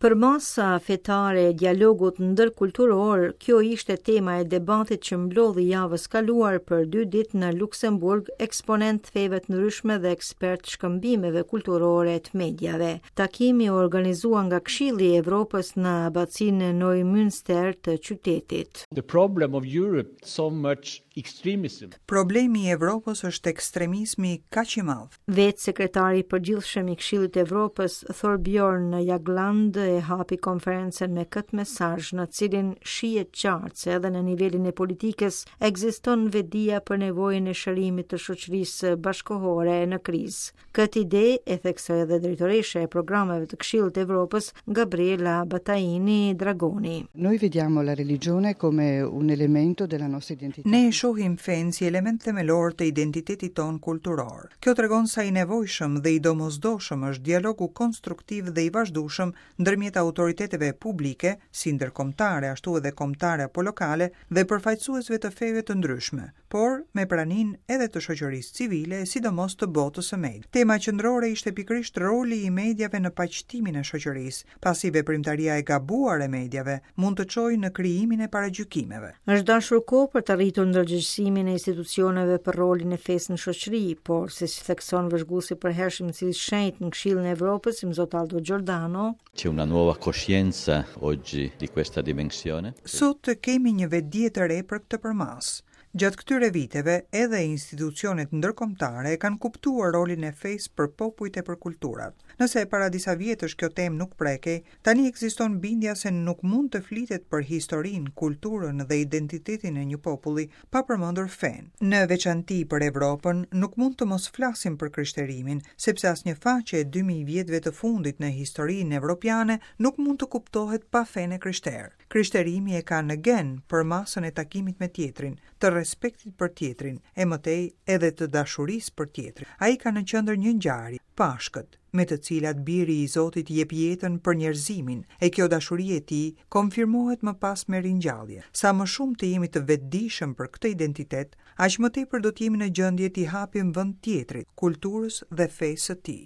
Përmasa fetare e dialogut ndërkulturor, kjo ishte tema e debatit që mblodhi javës kaluar për dy ditë në Luksemburg eksponentë të feve të ndryshme dhe ekspertë shkëmbimeve kulturore të mediave. Takimi u organizua nga Këshilli i Evropës në abacinë Neumünster të qytetit. The problem of Europe so much extremism. Problemi i Evropës është ekstremizmi kaq i madh. Vetë sekretari i përgjithshëm i Këshillit të Evropës, Thorbjorn Jagland, e hapi konferencën me këtë mesazh në cilin shihet qartë se edhe në nivelin e politikës ekziston vetëdija për nevojën e shërimit të shoqërisë bashkëkohore në krizë. Këtë ide e theksoi edhe drejtoresha e programeve të Këshillit të Evropës, Gabriela Battaini Dragoni. Noi vediamo la religione come un elemento della nostra identità. Ne e shohim fenë si element themelor të identitetit tonë kulturor. Kjo tregon sa i nevojshëm dhe i domosdoshëm është dialogu konstruktiv dhe i vazhdueshëm ndërmjet autoriteteve publike, si ndërkombëtare ashtu edhe kombëtare apo lokale, dhe përfaqësuesve të feve të ndryshme, por me praninë edhe të shoqërisë civile e sidomos të botës së mediave. Tema qendrore ishte pikërisht roli i mediave në paqtimin e shoqërisë, pasi veprimtaria e gabuar e mediave mund të çojë në krijimin e paragjykimeve. Është dashur kohë për të rritur ndërgjegjësimin e institucioneve për rolin e fesë në shoqëri, por siç thekson vëzhguesi i përhershëm i Sëlisë së Shenjtë në Këshillin e Evropës, Imzot Aldo Giordano, C'è una nuova coscienza oggi di questa dimensione. Sot kemi një vetëdije të re për këtë përmasë. Gjatë këtyre viteve, edhe institucionet ndërkombëtare e kanë kuptuar rolin e fesë për popujt e për kulturat. Nëse para disa vjetësh kjo temë nuk prekej, tani ekziston bindja se nuk mund të flitet për historinë, kulturën dhe identitetin e një populli pa përmendur fenë. Në veçanti për Evropën, nuk mund të mos flasim për krishterimin, sepse asnjë faqe e 2000 vjetëve të fundit në historinë evropiane nuk mund të kuptohet pa fenë e krishterë. Krishterimi e ka në gen përmasën e takimit me tjetrin, të respektit për tjetrin, e më tej edhe të dashurisë për tjetrin. Ai ka në qendër një ngjarje, Pashkët, me të cilat Biri i Zotit jep jetën për njerëzimin, e kjo dashuri e tij konfirmohet më pas me ringjallje. Sa më shumë të jemi të vetëdijshëm për këtë identitet, aq më tepër do të jemi në gjendje t'i hapim vend tjetrit, kulturës dhe fesë së tij.